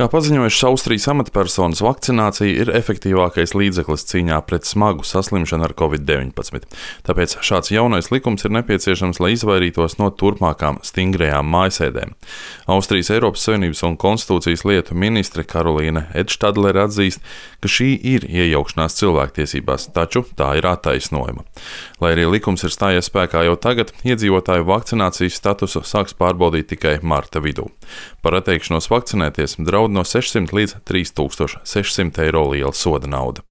Kā paziņojušas Austrijas amatpersonas, vakcinācija ir efektīvākais līdzeklis cīņā pret smagu saslimšanu ar Covid-19. Tāpēc šāds jaunais likums ir nepieciešams, lai izvairītos no turpmākām stingrajām mājasēdēm. Austrijas Eiropas Savienības un konstitūcijas lietu ministre Karolīne Edštadlere atzīst, ka šī ir iejaukšanās cilvēktiesībās, taču tā ir attaisnojama. Lai arī likums ir stājies spēkā jau tagad, iedzīvotāju vakcinācijas statusu sāks pārbaudīt tikai marta vidū. Par atteikšanos vakcinēties draud no 600 līdz 3600 eiro liela soda nauda.